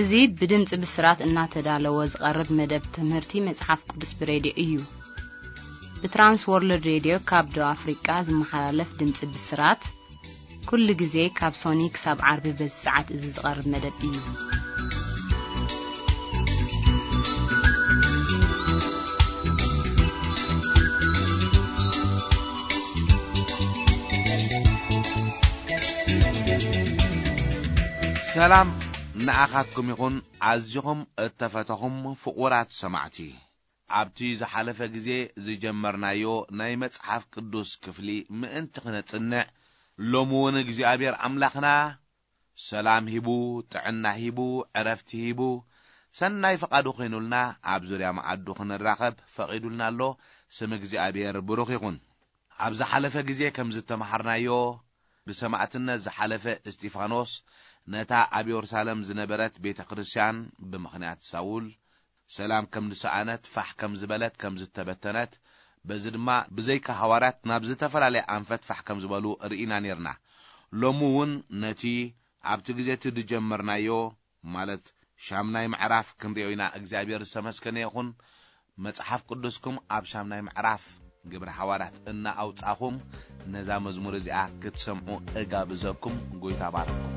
እዚ ብድምጺ ብስራት እናተዳለወ ዝቐርብ መደብ ትምህርቲ መጽሓፍ ቅዱስ ብሬድዮ እዩ። ብትራንስ ወርልድ ሬድዮ ካብ ደቡብ ኣፍሪቃ ዝመሓላለፍ ድምጺ ብስራት፣ ኩሉ ግዜ ካብ ሶኒ ክሳብ ዓርቢ በዚ ሰዓት እዚ ዝቐርብ መደብ እዩ። ሰላም ንኣኻትኩም ይኹን፣ ኣዚኹም እተፈተኹም ፍቑራት ሰማዕቲ። ኣብቲ ዝሓለፈ ግዜ ዝጀመርናዮ ናይ መጽሓፍ ቅዱስ ክፍሊ ምእንቲ ክነጽንዕ፣ ሎሚ እውን እግዚኣብሔር ኣምላኽና ሰላም ሂቡ፣ ጥዕና ሂቡ፣ ዕረፍቲ ሂቡ፣ ሰናይ ፍቓዱ ኮይኑልና ኣብ ዙርያ መኣዱ ክንራኸብ ፈቒዱልና ኣሎ። ስም እግዚኣብሔር ብሩኽ ይኹን። ኣብ ዝሓለፈ ግዜ ከም ዝተምሃርናዮ፣ ብሰማዕትነት ዝሓለፈ እስጢፋኖስ ነታ ኣብ የሩሳሌም ዝነበረት ቤተ ክርስቲያን ብምኽንያት ሳውል ሰላም ከም ዝሰኣነት፣ ፋሕ ከም ዝበለት፣ ከም ዝተበተነት፣ በዚ ድማ ብዘይካ ሃዋርያት ናብ ዝተፈላለየ ኣንፈት ፋሕ ከም ዝበሉ ርኢና ኔርና። ሎሚ እውን ነቲ ኣብቲ ግዜ እቲ ዝጀመርናዮ፣ ማለት ሻምናይ ምዕራፍ ክንሪኦ ኢና። እግዚኣብሔር ዝተመስገነ ይኹን። መጽሓፍ ቅዱስኩም ኣብ ሻምናይ ምዕራፍ ግብረ ሃዋርያት እናኣውጻኹም ነዛ መዝሙር እዚኣ ክትሰምዑ እጋብዘኩም። ጎይታ ባርኩም።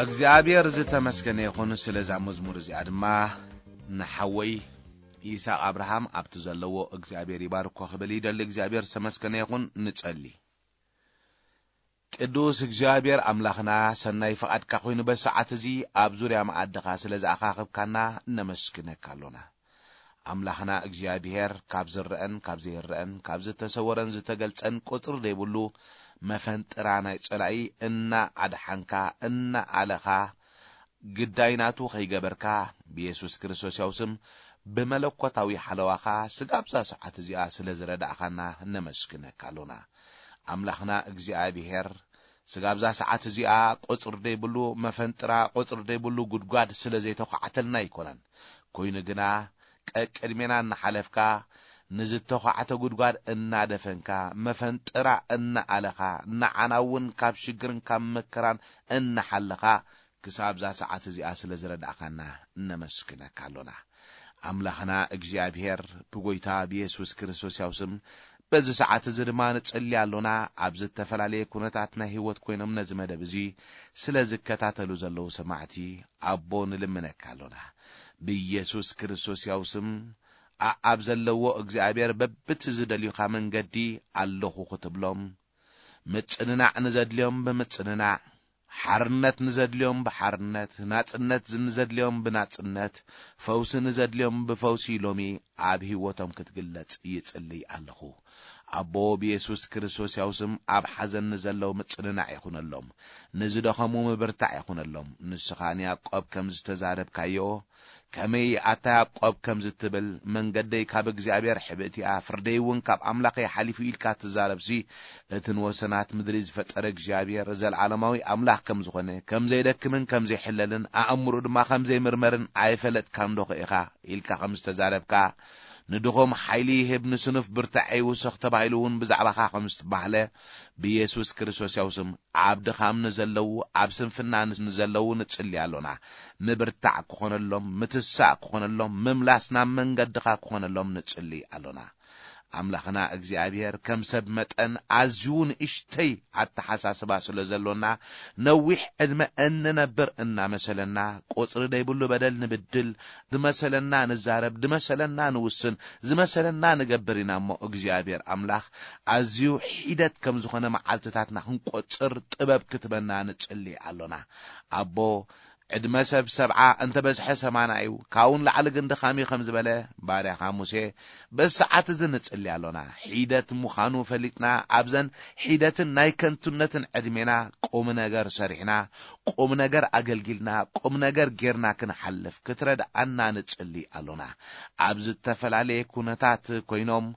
እግዚኣብሔር ዝተመስገነ ይኹን። ስለዛ መዝሙር እዚኣ ድማ ንሓወይ ይስሐቅ ኣብርሃም ኣብቲ ዘለዎ እግዚኣብሔር ይባርኮ ክብል ይደሊ። እግዚኣብሔር ዝተመስገነ ይኹን። ንጸሊ። ቅዱስ እግዚኣብሔር ኣምላኽና፣ ሰናይ ፍቓድካ ኮይኑ በሰዓት እዚ ኣብ ዙርያ መኣድኻ ስለ ዝኣኻኽብካና እነመስግነካ ኣሎና። ኣምላኽና እግዚኣብሔር፣ ካብ ዝረአን ካብ ዘይረአን፣ ካብ ዝተሰወረን ዝተገልጸን ቁጽሪ ዘይብሉ መፈንጥራ ናይ ጸላኢ እናኣድሓንካ፣ እናኣለኻ፣ ግዳይ ናቱ ከይገበርካ፣ ብየሱስ ክርስቶስ ያው ስም ብመለኮታዊ ሓለዋኻ ስጋብ እዛ ሰዓት እዚኣ ስለ ዝረዳእኻና ነመስግነካ ኣሎና። ኣምላኽና እግዚኣብሔር፣ ስጋብ እዛ ሰዓት እዚኣ ቁጽሪ ዘይብሉ መፈንጥራ፣ ቁጽሪ ዘይብሉ ጉድጓድ ስለ ዘይተዃዕተልና ኣይኮነን። ኮይኑ ግና፣ ቀቅድሜና እናሓለፍካ፣ ንዝተዃዕተ ጉድጓድ እናደፈንካ፣ መፈንጥራ እናኣለኻ፣ ንዓና እውን ካብ ሽግርን ካብ መከራን እናሓለኻ፣ ክሳብ እዛ ሰዓት እዚኣ ስለ ዝረዳእኻና እነመስግነካ ኣሎና። ኣምላኽና እግዚኣብሔር፣ ብጎይታ ብየሱስ ክርስቶስ ያው ስም በዚ ሰዓት እዚ ድማ ንጽሊ ኣሎና። ኣብ ዝተፈላለየ ኩነታት ናይ ህይወት ኮይኖም ነዚ መደብ እዚ ስለ ዝከታተሉ ዘለዉ ሰማዕቲ ኣቦ ንልምነካ ኣሎና። ብየሱስ ክርስቶስ ያው ስም ኣኣብ ዘለዎ እግዚኣብሔር በብቲ ዝደልዩኻ መንገዲ ኣለኹ ክትብሎም፣ ምጽንናዕ ንዘድልዮም ብምጽንናዕ፣ ሓርነት ንዘድልዮም ብሓርነት፣ ናጽነት ንዘድልዮም ብናጽነት፣ ፈውሲ ንዘድልዮም ብፈውሲ ሎሚ ኣብ ህይወቶም ክትግለጽ ይጽልይ ኣለኹ። ኣቦ ብየሱስ ክርስቶስ ያው ስም ኣብ ሓዘን ንዘለዉ ምጽንናዕ ይኹነሎም፣ ንዝደኸሙ ምብርታዕ ይኹነሎም። ንስኻ ንያዕቆብ ከም ዝተዛረብካዮ፣ ከመይ ኣታ ያዕቆብ ከምዚ ትብል፣ መንገደይ ካብ እግዚኣብሔር ሕብእቲ እያ፣ ፍርደይ እውን ካብ ኣምላኸይ ሓሊፉ ኢልካ ትዛረብሲ፣ እቲ ንወሰናት ምድሪ ዝፈጠረ እግዚኣብሔር ዘለዓለማዊ ኣምላኽ ከም ዝኾነ፣ ከም ዘይደክምን ከም ዘይሕለልን፣ ኣእምሩ ድማ ከም ዘይምርመርን ኣይፈለጥካን ዶ ኢኻ ኢልካ ከም ዝተዛረብካ፣ ንድኹም ሓይሊ ይህብ፣ ንስኑፍ ብርታዐ ይውስኽ ተባሂሉ እውን ብዛዕባኻ ከም ዝተባህለ፣ ብየሱስ ክርስቶስ ያው ስም ኣብ ድኻም ንዘለዉ፣ ኣብ ስንፍና ንዘለዉ ንጽሊ ኣሎና። ምብርታዕ ክኾነሎም፣ ምትሳእ ክኾነሎም፣ ምምላስ ናብ መንገድኻ ክኾነሎም ንጽሊ ኣሎና። ኣምላኽና እግዚኣብሔር፣ ከም ሰብ መጠን ኣዝዩ ንእሽተይ ኣተሓሳስባ ስለ ዘሎና፣ ነዊሕ ዕድመ እንነብር እናመሰለና፣ ቁጽሪ ደይብሉ በደል ንብድል፣ ዝመሰለና ንዛረብ፣ ዝመሰለና ንውስን፣ ዝመሰለና ንገብር ኢና እሞ፣ እግዚኣብሔር ኣምላኽ፣ ኣዝዩ ሒደት ከም ዝኾነ መዓልትታትና ክንቆጽር ጥበብ ክትበና ንጽሊ ኣሎና። ኣቦ፣ ዕድመ ሰብ ሰብዓ እንተ በዝሐ ሰማና እዩ፣ ካብኡ ንላዕሊ ግን ድኻም እዩ ከም ዝበለ ባርያኻ ሙሴ፣ በዚ ሰዓት እዚ ንጽሊ ኣሎና። ሒደት ምዃኑ ፈሊጥና፣ ኣብዘን ሒደትን ናይ ከንቱነትን ዕድሜና ቁም ነገር ሰሪሕና፣ ቁም ነገር ኣገልጊልና፣ ቁም ነገር ጌርና ክንሓልፍ ክትረድኣና ንጽሊ ኣሎና። ኣብ ዝተፈላለየ ኩነታት ኮይኖም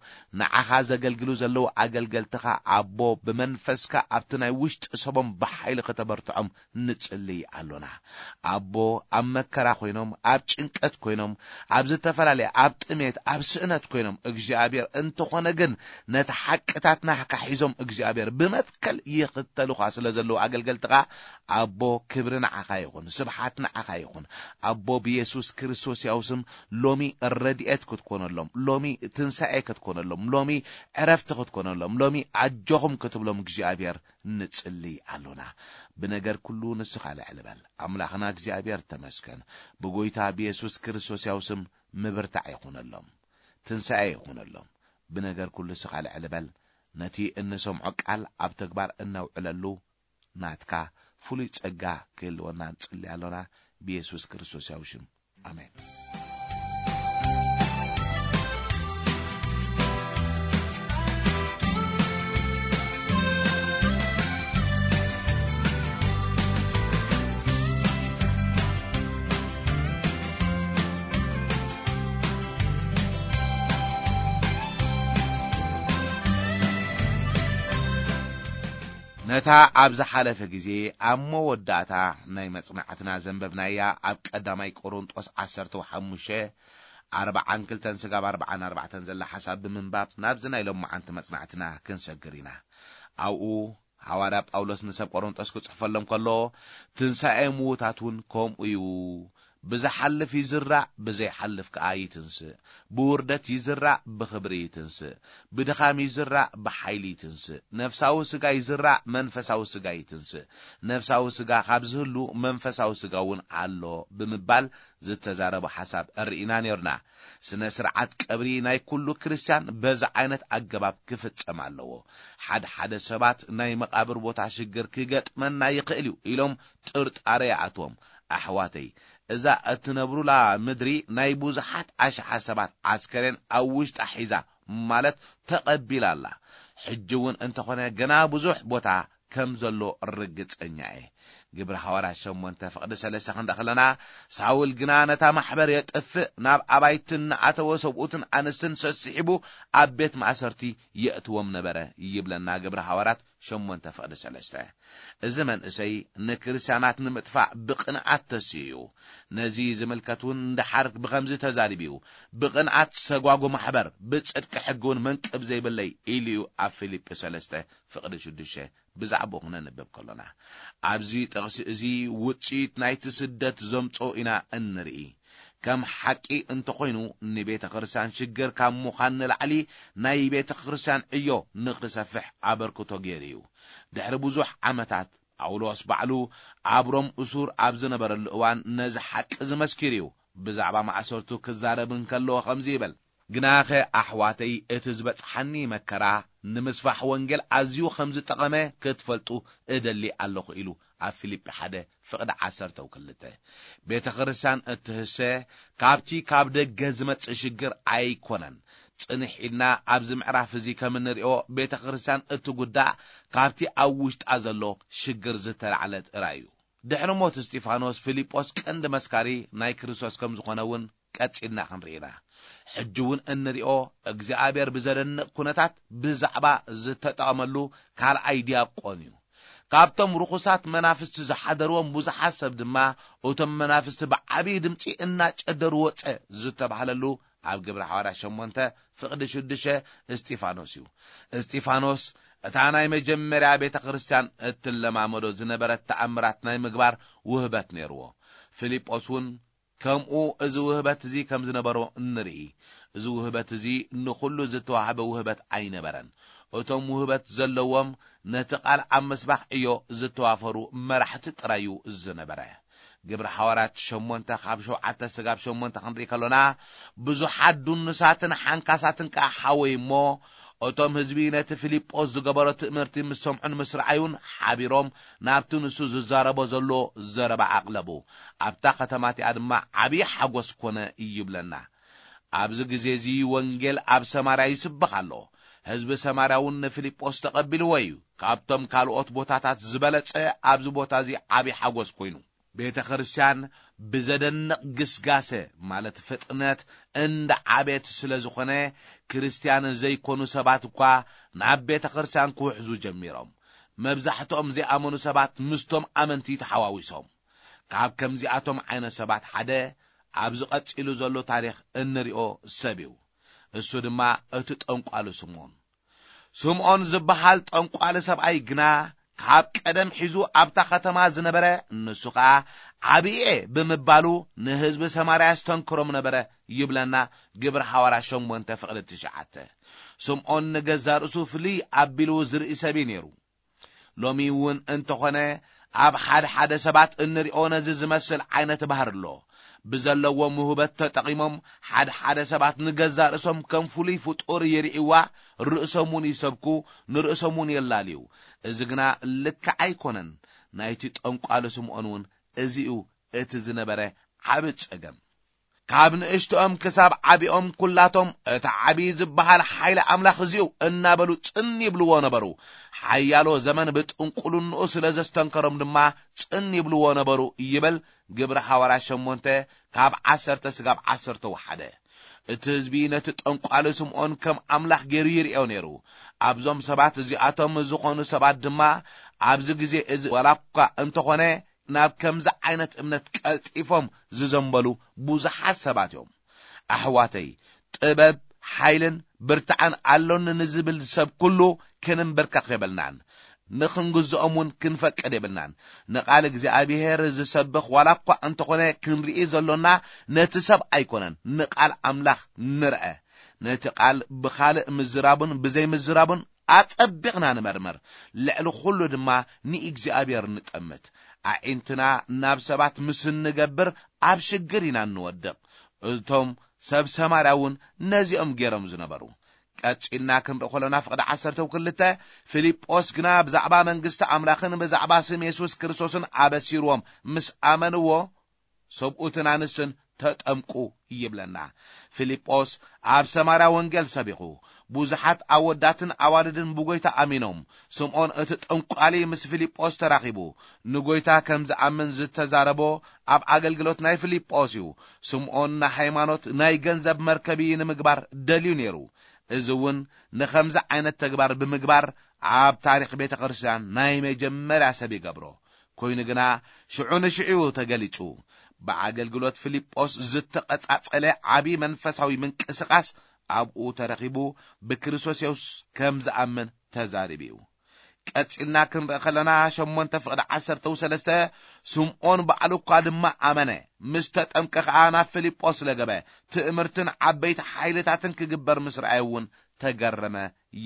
ንዓኻ ዘገልግሉ ዘለዉ ኣገልገልትኻ፣ ኣቦ፣ ብመንፈስካ ኣብቲ ናይ ውሽጢ ሰቦም ብሓይሊ ከተበርትዖም ንጽሊ ኣሎና። ኣቦ፣ ኣብ መከራ ኮይኖም፣ ኣብ ጭንቀት ኮይኖም፣ ኣብ ዝተፈላለየ፣ ኣብ ጥሜት፣ ኣብ ስእነት ኮይኖም፣ እግዚኣብሔር፣ እንተኾነ ግን ነቲ ሓቅታት ናህካ ሒዞም፣ እግዚኣብሔር፣ ብመትከል ይኽተሉኻ ስለ ዘለዉ ኣገልገልትኻ፣ ኣቦ፣ ክብሪ ንዓኻ ይኹን፣ ስብሓት ንዓኻ ይኹን። ኣቦ፣ ብየሱስ ክርስቶስ ያው ስም ሎሚ ረድኤት ክትኮነሎም፣ ሎሚ ትንሳኤ ክትኮነሎም፣ ሎሚ ዕረፍቲ ክትኮነሎም፣ ሎሚ ኣጆኹም ክትብሎም እግዚኣብሔር ንጽሊ ኣሎና። ብነገር ኩሉ ንስኻ ልዕል በል። ኣምላኽና እግዚኣብሔር ተመስገን። ብጎይታ ብየሱስ ክርስቶስ ያው ስም ምብርታዕ ይኹነሎም፣ ትንሳኤ ይኹነሎም። ብነገር ኩሉ ንስኻ ልዕል በል። ነቲ እንሰምዖ ቃል ኣብ ተግባር እነውዕለሉ ናትካ ፍሉይ ጸጋ ክህልወና ንጽሊ ኣሎና። ብየሱስ ክርስቶስ ያው ሽም። ኣሜን። ነታ ኣብ ዝሓለፈ ግዜ ኣብ መወዳእታ ናይ መጽናዕትና ዘንበብናያ ኣብ ቀዳማይ ቆሮንጦስ ዓሰርተ ሓሙሽተ ኣርባዓን ክልተን ስጋብ ኣርባዓን ኣርባዕተን ዘላ ሓሳብ ብምንባብ ናብዚ ናይ ሎማዓንቲ መጽናዕትና ክንሰግር ኢና። ኣብኡ ሃዋርያ ጳውሎስ ንሰብ ቆሮንጦስ ክጽሕፈሎም ከሎ፣ ትንሳኤ ምዉታት እውን ከምኡ እዩ፣ ብዝሓልፍ ይዝራእ፣ ብዘይሓልፍ ከኣ ይትንስእ። ብውርደት ይዝራእ፣ ብኽብሪ ይትንስእ። ብድኻም ይዝራእ፣ ብሓይሊ ይትንስእ። ነፍሳዊ ስጋ ይዝራእ፣ መንፈሳዊ ስጋ ይትንስእ። ነፍሳዊ ስጋ ካብ ዝህሉ መንፈሳዊ ስጋ እውን ኣሎ ብምባል ዝተዛረቦ ሓሳብ እርኢና ነርና። ስነ ስርዓት ቀብሪ ናይ ኩሉ ክርስትያን በዚ ዓይነት ኣገባብ ክፍጸም ኣለዎ። ሓደ ሓደ ሰባት ናይ መቓብር ቦታ ሽግር ክገጥመና ይኽእል እዩ ኢሎም ጥርጣረ ይኣትዎም። ኣሕዋተይ፣ እዛ እትነብሩላ ምድሪ ናይ ብዙሓት ኣሽሓ ሰባት ዓስከሬን ኣብ ውሽጣ ሒዛ፣ ማለት ተቐቢላ ኣላ። ሕጂ እውን እንተኾነ ገና ብዙሕ ቦታ ከም ዘሎ ርግጸኛ እየ። ግብሪ ሃዋርያት ሸሞንተ ፍቕዲ ሰለስተ ክንርኢ ከለና፣ ሳውል ግና ነታ ማሕበር የጥፍእ፣ ናብ ኣባይቲ እናኣተወ ሰብኡትን ኣንስትን ሰሲሒቡ ኣብ ቤት ማእሰርቲ የእትዎም ነበረ ይብለና ግብሪ ሃዋርያት ሸሞንተ ፍቕዲ ሰለስተ። እዚ መንእሰይ ንክርስትያናት ንምጥፋእ ብቕንዓት ተሲኡ እዩ። ነዚ ዝምልከት እውን እንድሓር ብኸምዚ ተዛሪቡ እዩ። ብቕንዓት ሰጓጉ ማሕበር፣ ብጽድቂ ሕጊ እውን መንቅብ ዘይብለይ ኢሉ እዩ ኣብ ፊልጲ ሰለስተ ፍቕዲ ሽዱሽተ ብዛዕባኡ ክነንብብ ከሎና፣ ኣብዚ ጥቕሲ እዚ ውጽኢት ናይቲ ስደት ዘምጾ ኢና እንርኢ። ከም ሓቂ እንተኾይኑ፣ ንቤተ ክርስቲያን ሽግር ካብ ምዃን ንላዕሊ ናይ ቤተ ክርስቲያን ዕዮ ንኽሰፍሕ ኣበርክቶ ገይሩ እዩ። ድሕሪ ብዙሕ ዓመታት፣ ጳውሎስ ባዕሉ ኣብ ሮም እሱር ኣብ ዝነበረሉ እዋን ነዚ ሓቂ እዚ መስኪሩ እዩ። ብዛዕባ ማእሰርቱ ክዛረብ እንከለዎ ከምዚ ይብል፣ "ግናኸ ኣሕዋተይ፣ እቲ ዝበጽሓኒ መከራ ንምስፋሕ ወንጌል ኣዝዩ ከም ዝጠቐመ ክትፈልጡ እደሊ ኣለኹ" ኢሉ ኣብ ፊልጲ ሓደ ፍቕዲ ዓሰርተ ክልተ። ቤተ ክርስቲያን እትህሰ ካብቲ ካብ ደገ ዝመጽእ ሽግር ኣይኮነን። ጽንሕ ኢልና ኣብዚ ምዕራፍ እዚ ከም እንሪኦ፣ ቤተ ክርስቲያን እትጉዳእ ካብቲ ኣብ ውሽጣ ዘሎ ሽግር ዝተላዕለ ጥራይ እዩ። ድሕሪ ሞት እስጢፋኖስ፣ ፊልጶስ ቀንዲ መስካሪ ናይ ክርስቶስ ከም ዝኾነ እውን ቀጺልና ክንርኢ ኢና። ሕጂ እውን እንሪኦ፣ እግዚኣብሔር ብዘደንቕ ኩነታት ብዛዕባ ዝተጠቐመሉ ካልኣይ ዲያቆን እዩ። ካብቶም ርኹሳት መናፍስቲ ዝሓደርዎም ብዙሓት ሰብ ድማ፣ እቶም መናፍስቲ ብዓብዪ ድምፂ እናጨደሩ ወፀ ዝተባህለሉ ኣብ ግብረ ሓዋርያት ሸሞንተ ፍቕዲ ሽዱሽተ እስጢፋኖስ እዩ። እስጢፋኖስ እታ ናይ መጀመርያ ቤተ ክርስቲያን እትለማመዶ ዝነበረት ተኣምራት ናይ ምግባር ውህበት ነይርዎ። ፊልጶስ እውን ከምኡ እዚ ውህበት እዚ ከም ዝነበሮ እንርኢ። እዚ ውህበት እዚ ንኹሉ ዝተዋህበ ውህበት ኣይነበረን። እቶም ውህበት ዘለዎም ነቲ ቃል ኣብ ምስባኽ ዕዮ ዝተዋፈሩ መራሕቲ ጥራይ እዩ ዝነበረ። ግብሪ ሓዋርያት ሸሞንተ ካብ ሸውዓተ ስጋብ ሸሞንተ ክንርኢ ከሎና፣ ብዙሓት ድኑሳትን ሓንካሳትን ከኣ ሓወዩ እሞ፣ እቶም ህዝቢ ነቲ ፊልጶስ ዝገበሮ ትእምርቲ ምስ ሰምዑን ምስ ረኣዩን ሓቢሮም ናብቲ ንሱ ዝዛረቦ ዘሎ ዘረባ ኣቕለቡ። ኣብታ ከተማ እቲኣ ድማ ዓብዪ ሓጎስ ኮነ ይብለና። ኣብዚ ግዜ እዚ ወንጌል ኣብ ሰማርያ ይስበኽ ኣሎ። ህዝቢ ሰማርያ እውን ንፊልጶስ ተቐቢልዎ እዩ። ካብቶም ካልኦት ቦታታት ዝበለጸ ኣብዚ ቦታ እዚ ዓብዪ ሓጎስ ኮይኑ። ቤተ ክርስቲያን ብዘደንቕ ግስጋሰ፣ ማለት ፍጥነት፣ እንዳ ዓቤት ስለ ዝኾነ፣ ክርስቲያን ዘይኮኑ ሰባት እኳ ናብ ቤተ ክርስቲያን ክውሕዙ ጀሚሮም። መብዛሕትኦም ዘይኣመኑ ሰባት ምስቶም ኣመንቲ ተሓዋዊሶም። ካብ ከምዚኣቶም ዓይነት ሰባት ሓደ ኣብዚ ቀጺሉ ዘሎ ታሪኽ እንሪኦ ሰብ እዩ። እሱ ድማ እቲ ጠንቋሉ ስምዖን። ስምዖን ዝበሃል ጠንቋሊ ሰብኣይ ግና ካብ ቀደም ሒዙ ኣብታ ከተማ ዝነበረ፣ ንሱ ኸኣ ዓብየ ብምባሉ ንህዝቢ ሰማርያ የስተንክሮም ነበረ ይብለና ግብሪ ሓዋርያ ሸሞንተ ፍቕዲ ትሽዓተ። ስምዖን ንገዛእ ርእሱ ፍልይ ኣቢሉ ዝርኢ ሰብ እዩ ነይሩ። ሎሚ እውን እንተኾነ ኣብ ሓደ ሓደ ሰባት እንሪኦ ነዚ ዝመስል ዓይነት ባህሪ ኣሎ። ብዘለዎም ውህበት ተጠቒሞም ሓደ ሓደ ሰባት ንገዛእ ርእሶም ከም ፍሉይ ፍጡር ይርእይዋ፣ ርእሶም እውን ይሰብኩ፣ ንርእሶም እውን የላልዩ። እዚ ግና ልክዕ ኣይኮነን። ናይቲ ጠንቋሊ ስምዖን እውን እዚ እዩ እቲ ዝነበረ ዓቢ ጸገም። ካብ ንእሽቶኦም ክሳብ ዓቢኦም ኩላቶም እቲ ዓቢ ዝበሃል ሓይሊ ኣምላኽ እዚኡ እናበሉ ጽን ይብልዎ ነበሩ። ሓያሎ ዘመን ብጥንቁልንኡ ስለ ዘስተንከሮም ድማ ጽን ይብልዎ ነበሩ ይብል ግብሪ ሓዋርያ ሸሞንተ ካብ ዓሰርተ ስጋብ ዓሰርተ ወሓደ። እቲ ህዝቢ ነቲ ጠንቋሊ ስምዖን ከም ኣምላኽ ገይሩ ይርእዮ ነይሩ። ኣብዞም ሰባት እዚኣቶም ዝኾኑ ሰባት ድማ ኣብዚ ግዜ እዚ ዋላ እኳ እንተኾነ ናብ ከምዚ ዓይነት እምነት ቀልጢፎም ዝዘንበሉ ብዙሓት ሰባት እዮም። ኣሕዋተይ፣ ጥበብ፣ ሓይልን ብርታዕን ኣሎኒ ንዝብል ሰብ ኩሉ ክንንበርከኽ የብልናን። ንኽንግዝኦም እውን ክንፈቅድ የብልናን። ንቓል እግዚኣብሔር ዝሰብኽ ዋላ እኳ እንተኾነ ክንርኢ ዘሎና ነቲ ሰብ ኣይኮነን፣ ንቓል ኣምላኽ ንርአ። ነቲ ቃል ብኻልእ ምዝራቡን ብዘይምዝራቡን ኣጸቢቕና ንመርምር። ልዕሊ ኩሉ ድማ ንእግዚኣብሔር ንጠምት። ኣዒንትና ናብ ሰባት ምስ እንገብር ኣብ ሽግር ኢና እንወድቕ። እቶም ሰብ ሰማርያ እውን ነዚኦም ገይሮም ዝነበሩ። ቀጺልና ክንርኢ ከሎና ፍቕዲ ዓሰርተ ክልተ፣ ፊልጶስ ግና ብዛዕባ መንግስቲ ኣምላኽን ብዛዕባ ስም የሱስ ክርስቶስን ኣበሲርዎም ምስ ኣመንዎ፣ ሰብኡትን ኣንስትን ተጠምቁ ይብለና። ፊልጶስ ኣብ ሰማርያ ወንጌል ሰቢኹ፣ ብዙሓት ኣወዳትን ኣዋልድን ብጎይታ ኣሚኖም። ስምዖን እቲ ጠንቋሊ ምስ ፊልጶስ ተራኺቡ፣ ንጎይታ ከም ዝኣምን ዝተዛረቦ፣ ኣብ ኣገልግሎት ናይ ፊልጶስ እዩ። ስምዖን ንሃይማኖት ናይ ገንዘብ መርከቢ ንምግባር ደልዩ ነይሩ። እዚ እውን ንኸምዚ ዓይነት ተግባር ብምግባር ኣብ ታሪኽ ቤተ ክርስቲያን ናይ መጀመርያ ሰብ ይገብሮ። ኮይኑ ግና ሽዑ ንሽዑ ተገሊጹ። ብኣገልግሎት ፊልጶስ ዝተቐጻጸለ ዓቢ መንፈሳዊ ምንቅስቓስ ኣብኡ ተረኺቡ፣ ብክርስቶስ የሱስ ከም ዝኣምን ተዛሪቡ እዩ። ቀጺልና ክንርኢ ከለና ሸሞንተ ፍቕዲ ዓሰርተ ሰለስተ፣ ስምዖን ባዕሉ እኳ ድማ ኣመነ፣ ምስ ተጠምቀ ኸኣ ናብ ፊልጶስ ለገበ፣ ትእምርትን ዓበይቲ ሓይልታትን ክግበር ምስ ረኣየ እውን ተገረመ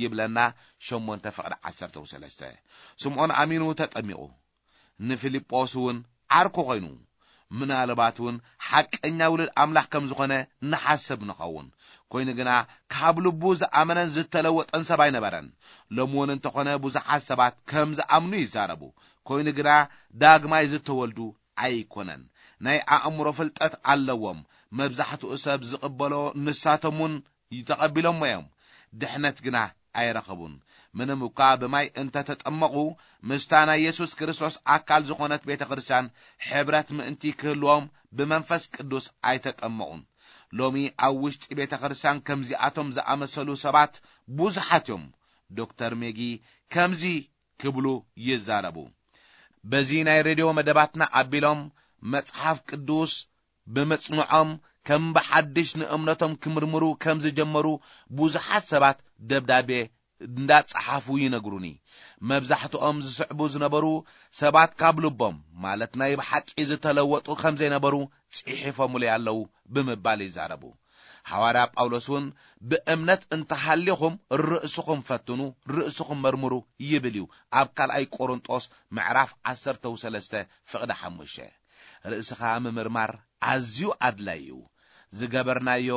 ይብለና። ሸሞንተ ፍቕዲ ዓሰርተ ሰለስተ፣ ስምዖን ኣሚኑ ተጠሚቑ፣ ንፊልጶስ እውን ዓርኩ ኮይኑ፣ ምናልባት እውን ሓቀኛ ውሉድ ኣምላኽ ከም ዝኾነ ንሓስብ ንኸውን። ኮይኑ ግና ካብ ልቡ ዝኣመነን ዝተለወጠን ሰብ ኣይነበረን። ሎሚ እውን እንተኾነ ብዙሓት ሰባት ከም ዝኣምኑ ይዛረቡ። ኮይኑ ግና ዳግማይ ዝተወልዱ ኣይኮነን። ናይ ኣእምሮ ፍልጠት ኣለዎም። መብዛሕትኡ ሰብ ዝቕበሎ ንሳቶም እውን ተቐቢሎሞ እዮም። ድሕነት ግና ኣይረኸቡን። ምንም እኳ ብማይ እንተተጠመቑ፣ ምስታ ናይ የሱስ ክርስቶስ ኣካል ዝኾነት ቤተ ክርስቲያን ሕብረት ምእንቲ ክህልዎም ብመንፈስ ቅዱስ ኣይተጠመቑን። ሎሚ ኣብ ውሽጢ ቤተ ክርስቲያን ከምዚኣቶም ዝኣመሰሉ ሰባት ብዙሓት እዮም። ዶክተር ሜጊ ከምዚ ክብሉ ይዛረቡ። በዚ ናይ ሬድዮ መደባትና ኣቢሎም መጽሓፍ ቅዱስ ብምጽንዖም ከም ብሓድሽ ንእምነቶም ክምርምሩ ከም ዝጀመሩ ብዙሓት ሰባት ደብዳቤ እንዳጸሓፉ ይነግሩኒ። መብዛሕትኦም ዝስዕቡ ዝነበሩ ሰባት ካብ ልቦም፣ ማለት ናይ ብሓቂ ዝተለወጡ ከም ዘይነበሩ ጽሒፎምለይ ኣለዉ ብምባል ይዛረቡ። ሃዋርያ ጳውሎስ እውን ብእምነት እንተሃሊኹም ርእስኹም ፈትኑ፣ ርእስኹም መርምሩ ይብል እዩ ኣብ ካልኣይ ቆሮንጦስ ምዕራፍ ዓሰርተ ሰለስተ ፍቕዲ ሓሙሽተ። ርእስኻ ምምርማር ኣዝዩ ኣድላይ እዩ። ዝገበርናዮ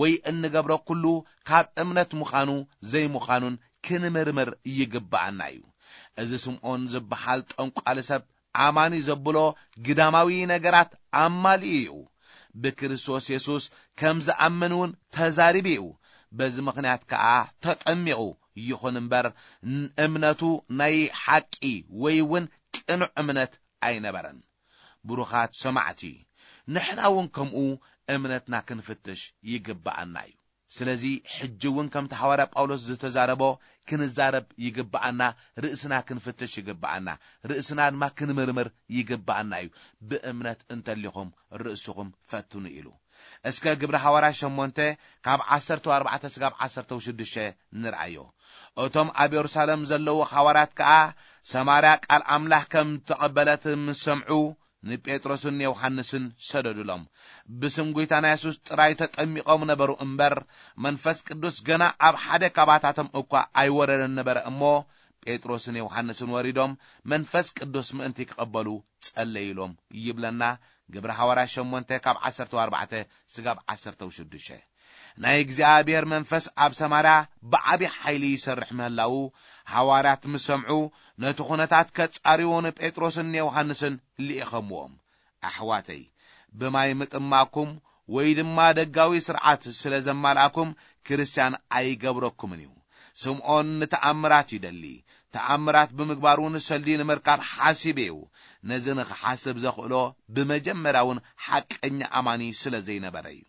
ወይ እንገብሮ ኩሉ ካብ እምነት ምዃኑ ዘይምዃኑን ክንምርምር ይግብኣና እዩ። እዚ ስምዖን ዝበሃል ጠንቋሊ ሰብ ኣማኒ ዘብሎ ግዳማዊ ነገራት ኣማሊኡ እዩ። ብክርስቶስ የሱስ ከም ዝኣምን እውን ተዛሪቡ እዩ። በዚ ምኽንያት ከኣ ተጠሚቑ። ይኹን እምበር፣ እምነቱ ናይ ሓቂ ወይ እውን ቅኑዕ እምነት ኣይነበረን። ብሩኻት ሰማዕቲ፣ ንሕና እውን ከምኡ እምነትና ክንፍትሽ ይግብኣና እዩ። ስለዚ ሕጂ እውን ከምቲ ሃዋርያ ጳውሎስ ዝተዛረቦ ክንዛረብ ይግብኣና፣ ርእስና ክንፍትሽ ይግብኣና፣ ርእስና ድማ ክንምርምር ይግብኣና እዩ። ብእምነት እንተሊኹም ርእስኹም ፈትኑ ኢሉ። እስከ ግብሪ ሃዋርያ ሸሞንተ ካብ ዓሰርተ ኣርባዕተ ስጋብ ዓሰርተ ሽዱሽተ ንርኣዮ። እቶም ኣብ የሩሳሌም ዘለዉ ሃዋርያት ከኣ ሰማርያ ቃል ኣምላኽ ከም ተቐበለት ምስ ሰምዑ፣ ንጴጥሮስን ዮሃንስን ሰደዱሎም። ብስም ጐይታና የሱስ ጥራይ ተጠሚቖም ነበሩ እምበር፣ መንፈስ ቅዱስ ገና ኣብ ሓደ ካባታቶም እኳ ኣይወረደን ነበረ እሞ፣ ጴጥሮስን ዮሃንስን ወሪዶም መንፈስ ቅዱስ ምእንቲ ክቐበሉ ጸለዩሎም ይብለና። ግብሪ ሃዋርያ ሸሞንተ ካብ ዓሰርተ ኣርባዕተ ስጋብ ዓሰርተ ሽዱሽተ። ናይ እግዚኣብሔር መንፈስ ኣብ ሰማርያ ብዓቢ ሓይሊ ይሰርሕ ምህላዉ፣ ሃዋርያት ምስ ሰምዑ፣ ነቲ ኹነታት ከጻርዩ ንጴጥሮስን ንዮሃንስን ልኢኸምዎም። ኣሕዋተይ፣ ብማይ ምጥማኩም ወይ ድማ ደጋዊ ስርዓት ስለ ዘማልኣኩም ክርስትያን ኣይገብረኩምን እዩ። ስምዖን ንተኣምራት ይደሊ። ተኣምራት ብምግባር እውን ሰልዲ ንምርካብ ሓሲቡ እዩ። ነዚ ንኽሓስብ ዘኽእሎ ብመጀመርያ እውን ሓቀኛ ኣማኒ ስለ ዘይነበረ እዩ።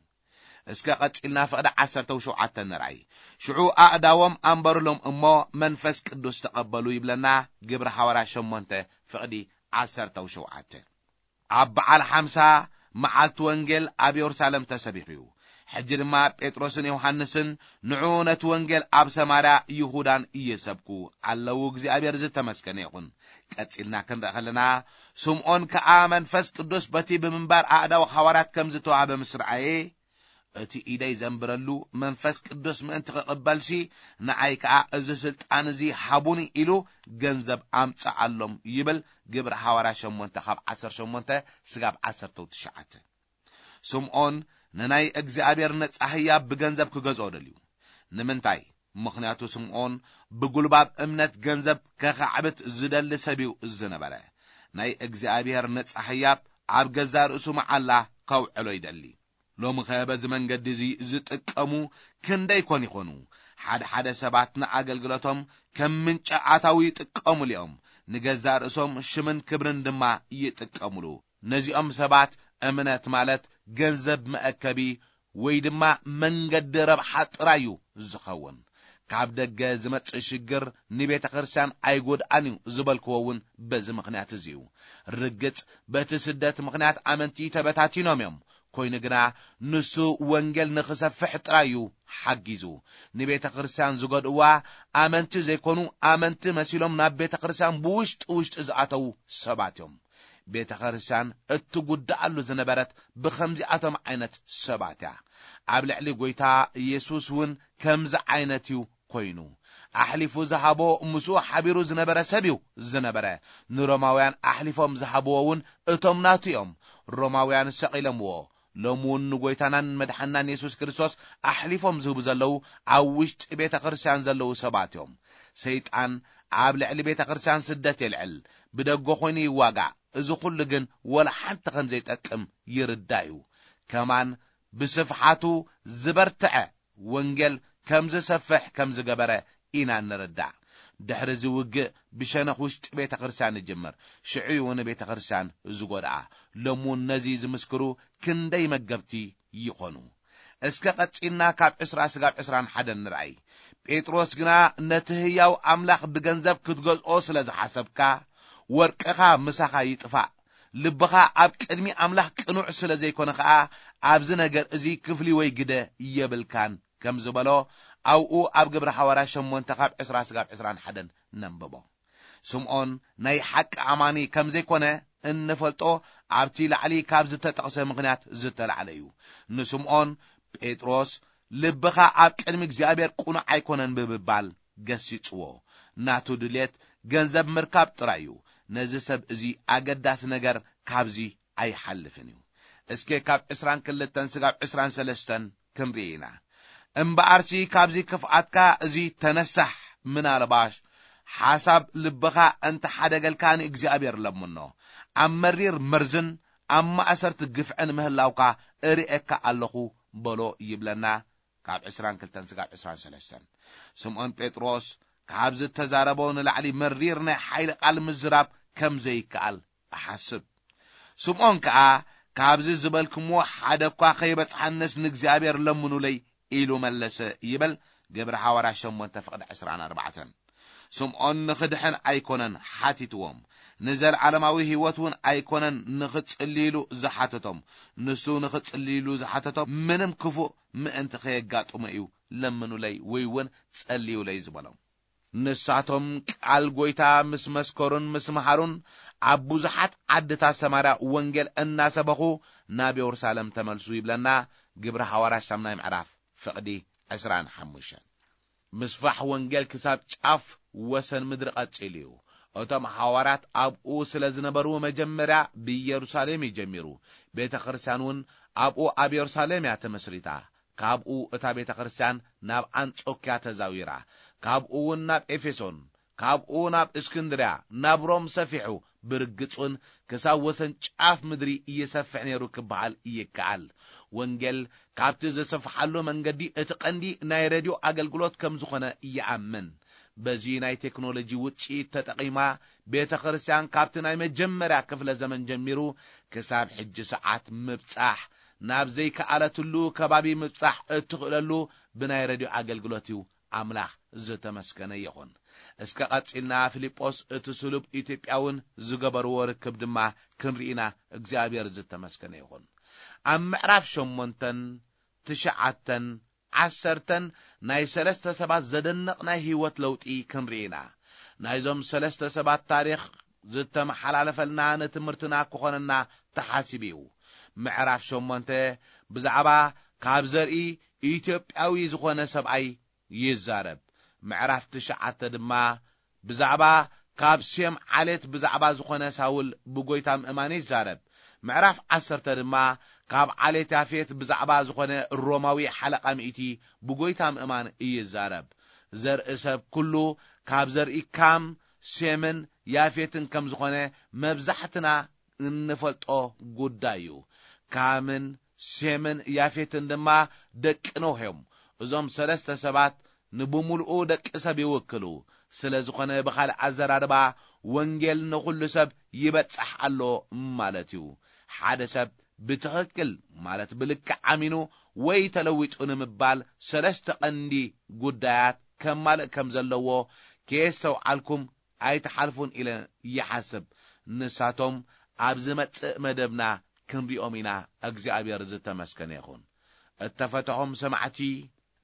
እስከ ቀጺልና ፍቕዲ ዓሰርተ ሸውዓተ ንርኣይ። ሽዑ ኣእዳዎም ኣንበሩሎም እሞ መንፈስ ቅዱስ ተቐበሉ ይብለና ግብሪ ሃዋርያ ሸሞንተ ፍቕዲ ዓሰርተ ሸውዓተ። ኣብ በዓል ሓምሳ መዓልቲ ወንጌል ኣብ የሩሳሌም ተሰቢኹ እዩ። ሕጂ ድማ ጴጥሮስን ዮሃንስን ንዑ ነቲ ወንጌል ኣብ ሰማርያ ይሁዳን እየሰብኩ ኣለዉ። እግዚኣብሔር ዝተመስገነ ይኹን። ቀጺልና ክንርኢ ከለና፣ ስምዖን ከኣ መንፈስ ቅዱስ በቲ ብምንባር ኣእዳው ሃዋርያት ከም ዝተዋህበ ምስ ረኣየ፣ እቲ ኢደይ ዘንብረሉ መንፈስ ቅዱስ ምእንቲ ክቕበልሲ፣ ንኣይ ከኣ እዚ ስልጣን እዚ ሃቡኒ ኢሉ ገንዘብ ኣምጽኣሎም ይብል። ግብሪ ሃዋርያ ሸሞንተ ካብ ዓሰርተ ሸሞንተ ስጋብ ዓሰርተ ትሽዓተ። ስምዖን ንናይ እግዚኣብሔር ነጻ ህያብ ብገንዘብ ክገዝኦ ደልዩ። ንምንታይ? ምኽንያቱ ስምዖን ብጉልባብ እምነት ገንዘብ ከኻዕብት ዝደሊ ሰብ እዩ ዝነበረ። ናይ እግዚኣብሔር ነጻ ህያብ ኣብ ገዛእ ርእሱ መዓላ ከውዕሎ ይደሊ። ሎምኸ በዚ መንገዲ እዚ ዝጥቀሙ ክንደይ ኮን ይኾኑ? ሓደ ሓደ ሰባት ንኣገልግሎቶም ከም ምንጪ ኣታዊ ይጥቀሙሉ እዮም። ንገዛእ ርእሶም ሽምን ክብርን ድማ ይጥቀሙሉ። ነዚኦም ሰባት እምነት ማለት ገንዘብ መእከቢ ወይ ድማ መንገዲ ረብሓ ጥራይ እዩ ዝኸውን። ካብ ደገ ዝመጽእ ሽግር ንቤተ ክርስቲያን ኣይጎድኣን እዩ ዝበልክዎ እውን በዚ ምኽንያት እዚ እዩ። ርግጽ በቲ ስደት ምኽንያት ኣመንቲ ተበታቲኖም እዮም። ኮይኑ ግና ንሱ ወንጌል ንኽሰፍሕ ጥራይ እዩ ሓጊዙ። ንቤተ ክርስቲያን ዝጎድእዋ ኣመንቲ ዘይኮኑ፣ ኣመንቲ መሲሎም ናብ ቤተ ክርስቲያን ብውሽጢ ውሽጢ ዝኣተዉ ሰባት እዮም። ቤተ ክርስቲያን እትጉድኣሉ ዝነበረት ብኸምዚኣቶም ዓይነት ሰባት እያ። ኣብ ልዕሊ ጐይታ ኢየሱስ እውን ከምዚ ዓይነት እዩ ኮይኑ። ኣሕሊፉ ዝሃቦ ምስኡ ሓቢሩ ዝነበረ ሰብ እዩ ዝነበረ። ንሮማውያን ኣሕሊፎም ዝሃብዎ እውን እቶም ናቱ እዮም። ሮማውያን ሰቒሎምዎ። ሎሚ እውን ንጐይታናን መድሓናን የሱስ ክርስቶስ ኣሕሊፎም ዝህቡ ዘለዉ ኣብ ውሽጢ ቤተ ክርስቲያን ዘለዉ ሰባት እዮም። ሰይጣን ኣብ ልዕሊ ቤተ ክርስቲያን ስደት የልዕል፣ ብደገ ኮይኑ ይዋጋእ። እዚ ኩሉ ግን ወላ ሓንቲ ከም ዘይጠቅም ይርዳእ እዩ። ከማን ብስፍሓቱ ዝበርትዐ ወንጌል ከም ዝሰፍሕ ከም ዝገበረ ኢና ንርዳእ። ድሕሪ እዚ ውግእ ብሸነኽ ውሽጢ ቤተ ክርስቲያን ይጅምር። ሽዑ እዩ ንቤተ ክርስቲያን ዝጎድኣ። ሎሚ እውን ነዚ ዝምስክሩ ክንደይ መገብቲ ይኾኑ። እስከ ቀጺልና ካብ ዕስራ ስጋብ ዕስራን ሓደን ንርኣይ። ጴጥሮስ ግና ነቲ ህያው ኣምላኽ ብገንዘብ ክትገዝኦ ስለ ዝሓሰብካ፣ ወርቅኻ ምሳኻ ይጥፋእ፣ ልብኻ ኣብ ቅድሚ ኣምላኽ ቅኑዕ ስለ ዘይኮነ ኸኣ፣ ኣብዚ ነገር እዚ ክፍሊ ወይ ግደ የብልካን ከም ዝበሎ፣ ኣብኡ ኣብ ግብሪ ሓዋርያ ሸሞንተ ካብ ዕስራ ስጋብ ዕስራን ሓደን ነንብቦ። ስምዖን ናይ ሓቂ ኣማኒ ከም ዘይኮነ እንፈልጦ ኣብቲ ላዕሊ ካብ ዝተጠቕሰ ምኽንያት ዝተላዕለ እዩ። ንስምዖን ጴጥሮስ፣ "ልብኻ ኣብ ቅድሚ እግዚኣብሔር ቅኑዕ ኣይኮነን" ብምባል ገሲጽዎ። ናቱ ድልየት ገንዘብ ምርካብ ጥራይ እዩ። ነዚ ሰብ እዚ ኣገዳሲ ነገር ካብዚ ኣይሓልፍን እዩ። እስከ ካብ ዕስራን ክልተን ስጋብ ዕስራን ሰለስተን ክንርኢ ኢና። "እምበኣርሲ ካብዚ ክፍኣትካ እዚ ተነሳሕ፣ ምናልባሽ ሓሳብ ልብኻ እንተሓደገልካ ንእግዚኣብሔር ለምኖ። ኣብ መሪር መርዝን ኣብ ማእሰርቲ ግፍዕን ምህላውካ እርእየካ ኣለኹ" በሎ ይብለና። ካብ ዕስራን ክልተን ስጋብ ዕስራን ሰለስተን። ስምዖን ጴጥሮስ ካብ ዝተዛረቦ ንላዕሊ መሪር ናይ ሓይሊ ቃል ምዝራብ ከም ዘይከኣል እሓስብ። ስምዖን ከኣ፣ "ካብዚ ዝበልክምዎ ሓደ እኳ ከይበጽሓንስ ንእግዚኣብሔር ለምኑለይ" ኢሉ መለሰ ይብል ግብሪ ሃዋርያ ሸሞንተ ፍቕዲ ዕስራን ኣርባዕተን። ስምዖን ንኽድሕን ኣይኮነን ሓቲትዎም፣ ንዘለዓለማዊ ህይወት እውን ኣይኮነን ንኽጽልይሉ ዝሓተቶም። ንሱ ንኽጽልይሉ ዝሓተቶም ምንም ክፉእ ምእንቲ ከየጋጥሞ እዩ "ለምኑለይ" ወይ እውን "ጸልዩለይ" ዝበሎም። ንሳቶም ቃል ጐይታ ምስ መስከሩን ምስ መሃሩን፣ ኣብ ብዙሓት ዓድታት ሰማርያ ወንጌል እናሰበኹ ናብ የሩሳሌም ተመልሱ ይብለና ግብሪ ሃዋርያት ሻምናይ ምዕራፍ ፍቕዲ ዕስራን ሓሙሽተን። ምስፋሕ ወንጌል ክሳብ ጫፍ ወሰን ምድሪ ቀጺሉ እዩ። እቶም ሃዋርያት ኣብኡ ስለ ዝነበሩ መጀመርያ ብኢየሩሳሌም እዩ ጀሚሩ። ቤተ ክርስቲያን እውን ኣብኡ ኣብ የሩሳሌም እያ ተመስሪታ። ካብኡ እታ ቤተ ክርስቲያን ናብ ኣንጾክያ ተዛዊራ፣ ካብኡ እውን ናብ ኤፌሶን፣ ካብኡ ናብ እስክንድርያ፣ ናብ ሮም ሰፊሑ፣ ብርግጽ እውን ክሳብ ወሰን ጫፍ ምድሪ ይሰፍሕ ነይሩ ክበሃል ይከኣል። ወንጌል ካብቲ ዝሰፍሓሉ መንገዲ እቲ ቀንዲ ናይ ሬድዮ ኣገልግሎት ከም ዝኾነ ይኣምን። በዚ ናይ ቴክኖሎጂ ውጽኢት ተጠቒማ ቤተ ክርስቲያን ካብቲ ናይ መጀመርያ ክፍለ ዘመን ጀሚሩ ክሳብ ሕጂ ሰዓት ምብጻሕ፣ ናብ ዘይከኣለትሉ ከባቢ ምብጻሕ እትኽእለሉ ብናይ ሬድዮ ኣገልግሎት እዩ። ኣምላኽ ዝተመስገነ ይኹን። እስከ ቀጺልና ፊልጶስ እቲ ስሉብ ኢትዮጵያውን ዝገበርዎ ርክብ ድማ ክንርኢና እግዚኣብሔር ዝተመስገነ ይኹን። ኣብ ምዕራፍ ሸሞንተን ትሽዓተን ዓሰርተን ናይ ሰለስተ ሰባት ዘደንቕ ናይ ህይወት ለውጢ ክንርኢ ኢና። ናይዞም ሰለስተ ሰባት ታሪኽ ዝተመሓላለፈልና ንትምህርትና ክኾነና ተሓሲቡ እዩ። ምዕራፍ ሸሞንተ ብዛዕባ ካብ ዘርኢ ኢትዮጵያዊ ዝኾነ ሰብኣይ ይዛረብ። ምዕራፍ ትሽዓተ ድማ ብዛዕባ ካብ ሴም ዓሌት ብዛዕባ ዝኾነ ሳውል ብጎይታ ምእማን ይዛረብ። ምዕራፍ ዓሰርተ ድማ ካብ ዓሌት ያፌት ብዛዕባ ዝኾነ ሮማዊ ሓለቓ ሚእቲ ብጎይታ ምእማን ይዛረብ። ዘርኢ ሰብ ኩሉ ካብ ዘርኢ ካም፣ ሴምን ያፌትን ከም ዝኾነ መብዛሕትና እንፈልጦ ጉዳይ እዩ። ካምን ሴምን ያፌትን ድማ ደቂ ኖህ እዮም። እዞም ሰለስተ ሰባት ንብምሉኡ ደቂ ሰብ ይውክሉ። ስለ ዝኾነ ብኻልእ ኣዘራርባ ወንጌል ንኹሉ ሰብ ይበጽሕ ኣሎ ማለት እዩ። ሓደ ሰብ ብትኽክል ማለት ብልክዕ ኣሚኑ ወይ ተለዊጡ ንምባል ሰለስተ ቀንዲ ጉዳያት ከማልእ ከም ዘለዎ ከየስተውዓልኩም ኣይትሓልፉን ኢለ ይሓስብ። ንሳቶም ኣብ ዝመጽእ መደብና ክንሪኦም ኢና። እግዚኣብሔር ዝተመስገነ ይኹን። እተፈተኹም ሰማዕቲ፣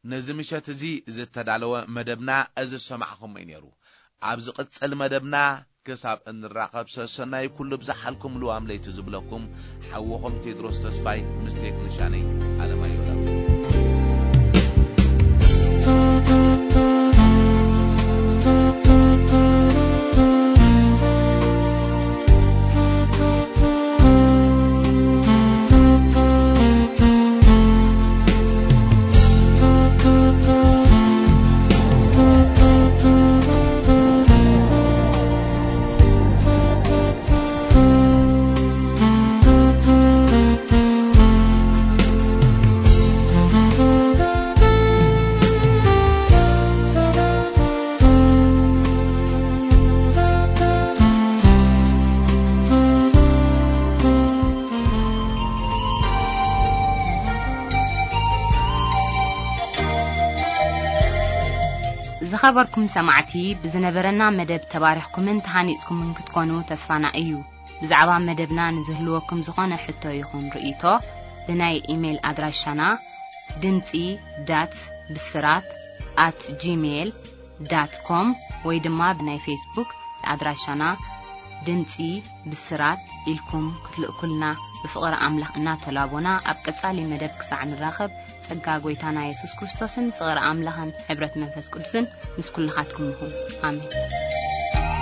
ነዚ ምሸት እዚ ዝተዳለወ መደብና እዚ ዝሰማዕኹም እዩ ነይሩ። ኣብ ዝቕጽል መደብና ክሳብ እንራኸብ ሰሰናይ ኩሉ ብዝሓልኩም ልዋም ለይቲ ዝብለኩም ሓውኹም ቴድሮስ ተስፋይ ምስ ቴክኒሻነይ ኣለማየሁ ለማ። ዝኸበርኩም ሰማዕቲ፣ ብዝነበረና መደብ ተባሪኽኩምን ተሃኒጽኩምን ክትኮኑ ተስፋና እዩ። ብዛዕባ መደብና ንዝህልወኩም ዝኾነ ሕቶ ይኹን ርእይቶ፣ ብናይ ኢሜይል ኣድራሻና ድምጺ ዳት ብስራት ኣት ጂሜይል ዳት ኮም ወይ ድማ ብናይ ፌስቡክ ኣድራሻና ድምጺ ብስራት ኢልኩም ክትልእኩልና ብፍቕሪ ኣምላኽ እናተላቦና፣ ኣብ ቀጻሊ መደብ ክሳዕ ንራኸብ፣ ጸጋ ጐይታና የሱስ ክርስቶስን ፍቕሪ ኣምላኽን ሕብረት መንፈስ ቅዱስን ምስ ኩልኻትኩም ይኹን። ኣሜን።